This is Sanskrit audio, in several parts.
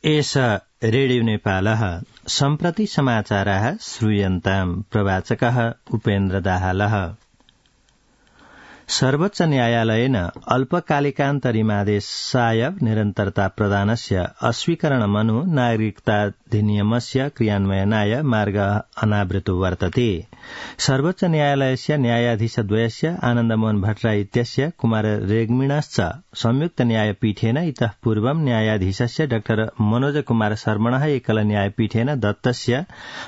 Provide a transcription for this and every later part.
एष रेडियो नेपालः सम्प्रति समाचाराः श्रूयन्ताम् प्रवाचकः उपेन्द्र दाहालः। सर्वोच्च न्यायालयेन अल्पकालिकान्तरिमादेशाय निरन्तरता प्रदानस्य अस्वीकरणमनु नागरिकताधिनियमस्य क्रियान्वयनाय मार्गः अनावृतो वर्तते। सर्वोच्च न्यायालयस्य न्यायाधीशद्वयस्य आनन्दमोहन भट्टराई इत्यस्य कुमार रेग्मिणश्च संयुक्त न्यायपीठेन इतः पूर्वं न्यायाधीशस्य डॉ मनोज कुमार शर्मणः एकल न्यायपीठेन दत्तस्य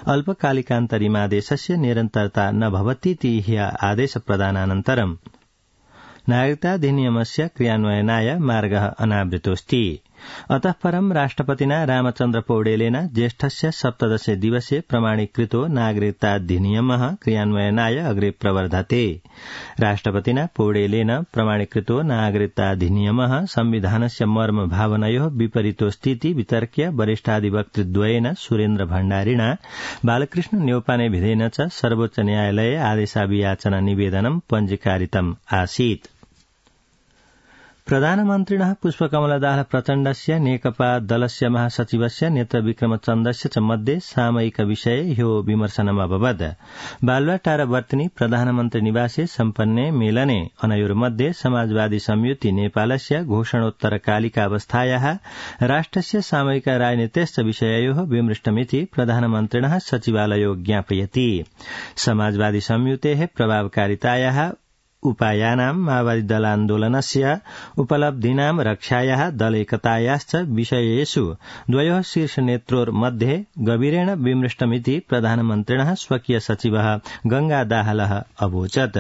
अल्पकालिकान्तरिमादेशस्य निरन्तरता न भवतीति ह्य आदेश प्रदानानन्तरं नागरिकताधिनियमस्य क्रियान्वयनाय मार्गः अनावृतोऽस्ति। अतः परं राष्ट्रपतिना रामचन्द्र पौडेलेन ज्येष्ठस्य 17 दिवसे प्रमाणीकृतो नागरिकताधिनियमः क्रियान्वयनाय अग्रे प्रवर्धते। राष्ट्रपतिना पौडेलेन प्रमाणीकृतो नागरिकताधिनियमः संविधानस्य मर्म भावनयोः विपरीतोऽस्तीति वितर्क्य वरिष्ठाधिवक्तृद्वयेन सुरेन्द्र भण्डारिणा बालकृष्ण न्यौपानेभिधेन च सर्वोच्च न्यायालये आदेशाभियाचना निवेदनं पञ्जीकारितम् आसीत्। प्रधानमन्त्रिणः पुष्पकमलदास प्रचण्डस्य नेकपा दलस्य महासचिवस्य नेत्र विक्रमचन्द्रस्य च मध्ये सामयिक विषये ह्यो विमर्शनमभवत्। बालुवाटारवर्तिनि प्रधानमन्त्री निवासे सम्पन्ने मेलने अनयोर्मध्ये समाजवादी संयुति नेपालस्य घोषणोत्तरकालिकावस्थायाः राष्ट्रस्य सामयिक राजनीतेश्च विषययोः विमृष्टमिति प्रधानमन्त्रिणः सचिवालयो ज्ञापयति। समाजवादी संयुतेः प्रभावकारितायाः उपायानां माओवादी दलान्दोलनस्य उपलब्धीनां रक्षायाः दलैकतायाश्च विषयेषु द्वयोः शीर्षनेत्रोर्मध्ये गभीरेण विमृष्टमिति प्रधानमन्त्रिणः स्वकीय सचिवः गंगा दाहालः अवोचत्।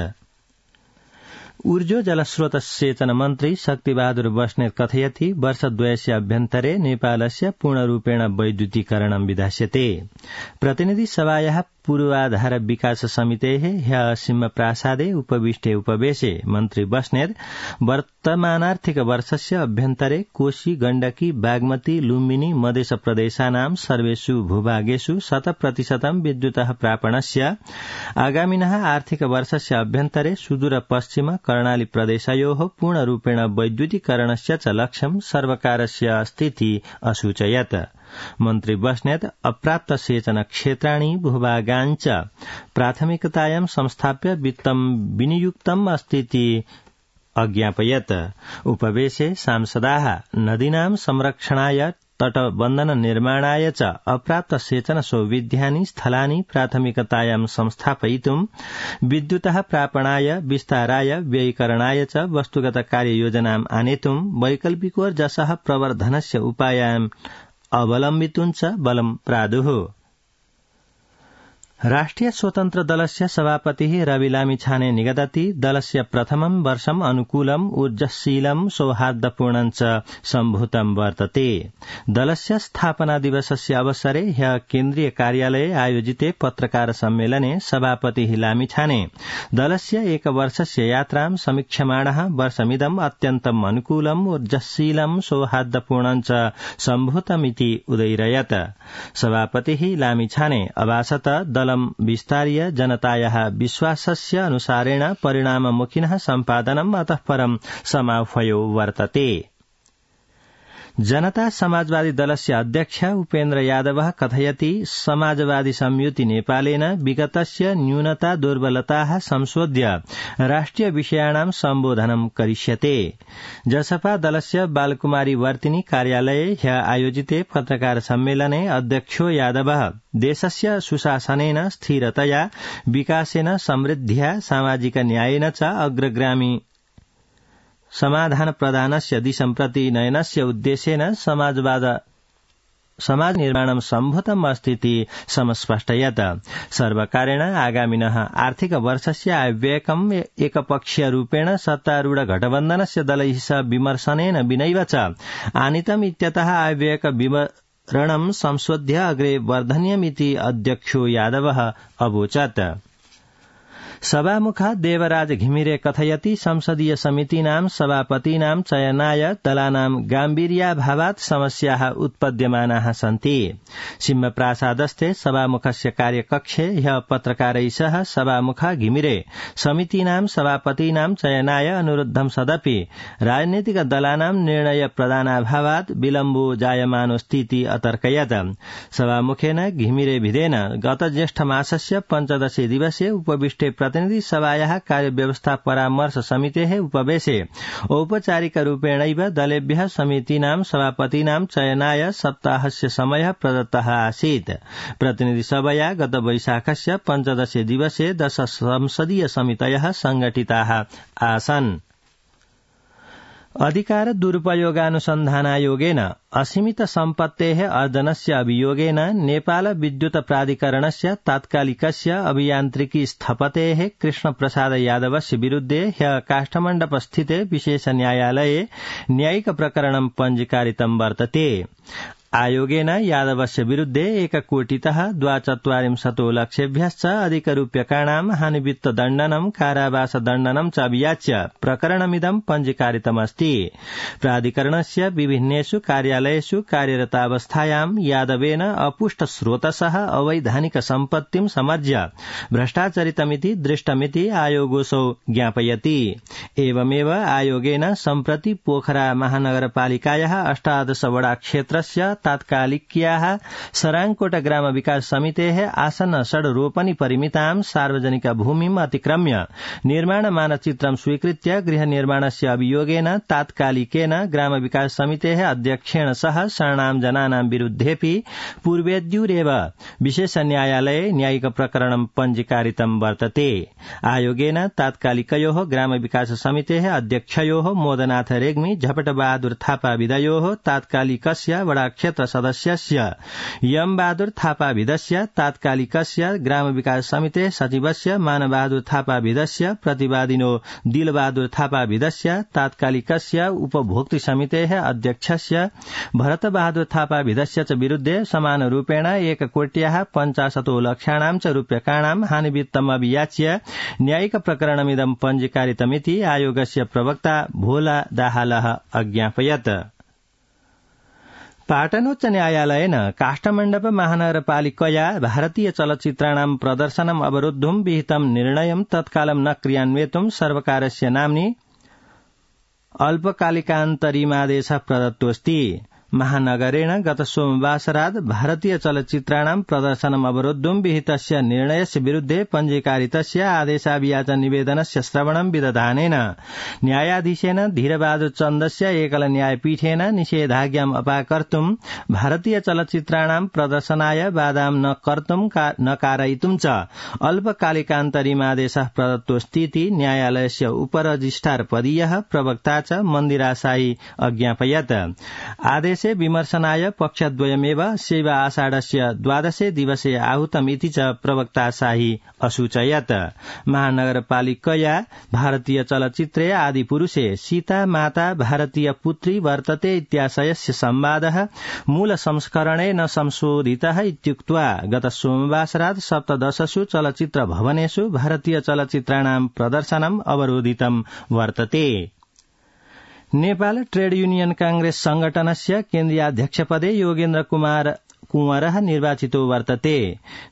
ऊर्जो जलस्रोत सेचन मन्त्री शक्तिबहादुर बस्नेत कथयति वर्षद्वयस्य अभ्यन्तरे नेपालस्य पूर्णरूपेण वैद्युतीकरणं विधास्यते। प्रतिनिधि सभायाः पूर्वाधार विकास समितेः ह्यः सिंहप्रासादे उपविष्टे उपवेशे मन्त्री बस्नेत वर्तमानार्थिक वर्षस्य अभ्यन्तरे कोशी गण्डकी बागमती लुम्बिनी मधेश प्रदेशानां सर्वेषु भूभागेषु 100% विद्युतः प्रापणस्य आगामिनः आर्थिक वर्षस्य अभ्यन्तरे सुदूर पश्चिम कर्णाली प्रदेशयोः पूर्णरूपेण वैद्युतीकरणस्य च लक्ष्यं सर्वकारस्य अस्तीति असूचयत्। मन्त्री बस्नेत अप्राप्त सेचन क्षेत्राणि भूभागाञ्च प्राथमिकतायां संस्थाप्य वित्तं विनियुक्तम् अस्तीति अज्ञापयत्। उपवेशे सांसदाः नदीनां संरक्षणाय तटबन्धन निर्माणाय च अप्राप्त सेचन सौविध्यानि स्थलानि प्राथमिकतायां संस्थापयितुं विद्युतः प्रापणाय विस्ताराय व्ययीकरणाय च वस्तुगत कार्ययोजनाम् आनेतुं वैकल्पिकोर्जसः प्रवर्धनस्य उपायान् अवलम्बितुं च बलं प्रादुः। राष्ट्रिय स्वतन्त्र दलस्य सभापतिः रवि लामिछाने निगदति दलस्य प्रथमं वर्षम् अनुकूलम् ऊर्जशीलम् सौहार्दपूर्णं च सम्भूतं वर्तते। दलस्य स्थापना दिवसस्य अवसरे ह्यः केन्द्रीय कार्यालये आयोजिते पत्रकार सम्मेलने सभापतिः लामिछाने दलस्य एकवर्षस्य यात्रां समीक्ष्यमाणः वर्षमिदम् अत्यन्तम् अनुकूलम् ऊर्जशीलम् सौहार्दपूर्णं च सम्भूतमिति उदयिरयत्। सभापतिः लामिछाने अभाषत दलं विस्तार्य जनतायाः विश्वासस्य अनुसारेण परिणाममुखिनः सम्पादनम् अतः परं समाह्वयो वर्तते। जनता समाजवादी दलस्य अध्यक्ष उपेन्द्र यादवः कथयति समाजवादी संयुति नेपालेन विगतस्य न्यूनता दुर्बलताः संशोध्य राष्ट्रिय विषयाणां सम्बोधनं करिष्यते। जसपा दलस्य बालकुमारी वर्तिनी कार्यालये ह्यः आयोजिते पत्रकार सम्मेलने अध्यक्षो यादवः देशस्य सुशासनेन स्थिरतया विकासेन समृद्ध्या सामाजिक न्यायेन च अग्रगामी समाधान प्रदानस्य दिशं प्रति नयनस्य उद्देश्येन समाज निर्माणं सम्भूतम् अस्तीति समस्पष्टयत्। सर्वकारेण आगामिनः आर्थिक वर्षस्य आयव्ययकम् एकपक्षीयरूपेण सत्तारूढ गठबन्धनस्य दलैः सह विमर्शनेन विनैव च आनीतम् इत्यतः आयव्ययक विवरणं संशोध्य अग्रे वर्धनीयमिति अध्यक्षो यादवः अवोचत्। सभामुखः देवराज घिमिरे कथयति संसदीय समितीनां सभापतीनां चयनाय दलानां गाम्भीर्याभावात् समस्याः उत्पद्यमानाः सन्ति। सिंहप्रासादस्थे सभामुखस्य कार्यकक्षे ह्यः पत्रकारैः सह सभामुखः घिमिरे समितीनां सभापतीनां चयनाय अनुरुद्धं सदपि राजनीतिक दलानां निर्णय प्रदानाभावात् विलम्बो जायमानोऽस्तीति अतर्कयत्। सभामुखेन घिमिरे भिदेन गत ज्येष्ठमासस्य 15 दिवसे उपविष्टे प्रतिनिधि सभायाः कार्यव्यवस्था परामर्श समितेः उपवेशे औपचारिकरूपेणैव दलेभ्यः समितीनां सभापतीनां चयनाय सप्ताहस्य समयः प्रदत्तः आसीत्। प्रतिनिधि सभया गत वैशाखस्य 15 दिवसे 10 संसदीय समितयः संघटिताः आसन्। अधिकार दुरुपयोगानुसन्धानायोगेन असीमित सम्पत्तेः अर्जनस्य अभियोगेन नेपाल विद्युत प्राधिकरणस्य तात्कालिकस्य अभियान्त्रिकी स्थपतेः कृष्णप्रसाद यादवस्य विरुद्धे ह्यः काष्ठमण्डपस्थिते विशेष न्यायालये न्यायिक प्रकरणं पञ्जीकारितं वर्तते। आयोगेन यादवस्य विरुद्धे 1 कोटितः 240 लक्षेभ्यश्च अधिकरूप्यकाणां हानिवित्तदण्डनं कारावासदण्डनं च अभियाच्य प्रकरणमिदं पञ्जीकारितमस्ति। प्राधिकरणस्य विभिन्नेषु कार्यालयेषु कार्यरतावस्थायां यादवेन अपुष्टस्रोतसः अवैधानिक सम्पत्तिं समर्ज्य भ्रष्टाचरितमिति दृष्टमिति आयोगोऽसौ ज्ञापयति। एवमेव आयोगेन सम्प्रति पोखरा महानगरपालिकायाः 18 वडा क्षेत्रस्य तात्कालिक्याः सराङकोट ग्राम विकास समितेः आसन्न षड्रोपणी परिमितां सार्वजनिक भूमिम् अतिक्रम्य निर्माण मानचित्रं स्वीकृत्य गृह निर्माणस्य अभियोगेन तात्कालिकेन ग्राम विकास समितेः अध्यक्षेण सह शरणां जनानां विरुद्धेऽपि पूर्वेद्युरेव विशेष न्यायालये न्यायिक प्रकरणं पञ्जीकारितं वर्तते। आयोगेन तात्कालिकयोः ग्राम विकास समितेः अध्यक्षयोः मोदनाथ रेग्मी झपटबहादुर थापा विदयोः तात्कालिकस्य वडा क्षेत्र सदस्यस्य यम बहादुर थापा विदस्य तात्कालिकस्य ग्राम विकास समिते सचिवस्य मानबहादुर थापा विदस्य प्रतिवादिनो दिलबहादुर थापा विदस्य तात्कालिकस्य उपभोक्तृ समितेः अध्यक्षस्य भरत बहादुर थापा विदस्य च विरुद्धे समानरूपेण 1 कोट्याः 50 लक्षाणां च रूप्यकाणां हानिवित्तम् अभियाच्य न्यायिक प्रकरणमिदं पञ्जीकारितमिति आयोगस्य प्रवक्ता भोला दाहालः अज्ञापयत्। पाटनोच्च न्यायालयेन काष्ठमण्डप महानगरपालिकया भारतीय चलचित्राणां प्रदर्शनम् अवरोद्धुं विहितं निर्णयं तत्कालं न क्रियान्वेतुं सर्वकारस्य नाम्नि अल्पकालिकान्तरिमादेशः प्रदत्तोऽस्ति। महानगरेण गत सोमवासरात् भारतीय चलचित्राणां प्रदर्शनम् अवरोद्धुं विहितस्य निर्णयस्य विरुद्धे पञ्जीकारितस्य आदेशाभियाचन निवेदनस्य श्रवणं विदधानेन न्यायाधीशेन धीरबहादुर चन्दस्य एकल न्यायपीठेन निषेधाज्ञाम् अपाकर्तुं भारतीय चलचित्राणां प्रदर्शनाय बाधां न कर्तुं न कारयितुं च अल्पकालिकान्तरिमादेशः प्रदत्तोऽस्तीति न्यायालयस्य उपरजिस्ट्रार पदीयः प्रवक्ता च मन्दिरा साई अज्ञापयत्। आदेशे विमर्शनाय पक्षद्वयमेव शैव आषाढस्य 12 दिवसे आहूतमिति च प्रवक्ता शाही असूचयत्। महानगरपालिकया भारतीय चलचित्रे आदिपुरुषे सीता माता भारतीय पुत्री वर्तते इत्याशयस्य संवादः मूल संस्करणे न संशोधितः इत्युक्त्वा गत सोमवासरात् 17 चलचित्र भवनेषु भारतीय चलचित्राणां प्रदर्शनम् अवरोधितं वर्तते। नेपाल ट्रेड यूनियन कांग्रेस संगठनस्य केन्द्रीयाध्यक्षपदे योगेन्द्र कुमार कुंवरः निर्वाचितो वर्तते।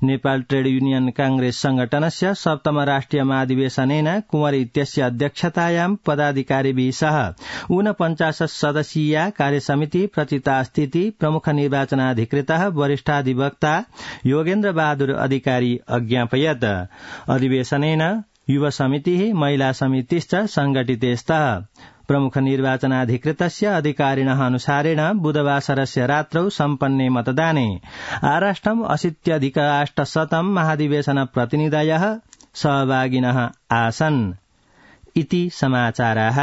नेपाल ट्रेड यूनियन कांग्रेस संगठनस्य 7म राष्ट्रिय महाधिवेशनेन कुंवर इत्यस्य अध्यक्षतायां पदाधिकारिभिः सह 49 सदस्यीया कार्यसमिति प्रचितास्तीति प्रमुख निर्वाचनाधिकृतः वरिष्ठाधिवक्ता योगेन्द्र बहादुर अधिकारी अज्ञापयत्। अधिवेशनेन युव समितिः महिला समितिश्च संघटिते स्तः। प्रमुख निर्वाचनाधिकृतस्य अधिकारिणः अनुसारेण बुधवासरस्य रात्रौ सम्पन्ने मतदाने आराष्ट्रम् 80,800 महाधिवेशन प्रतिनिधयः सहभागिनः आसन् इति समाचाराः।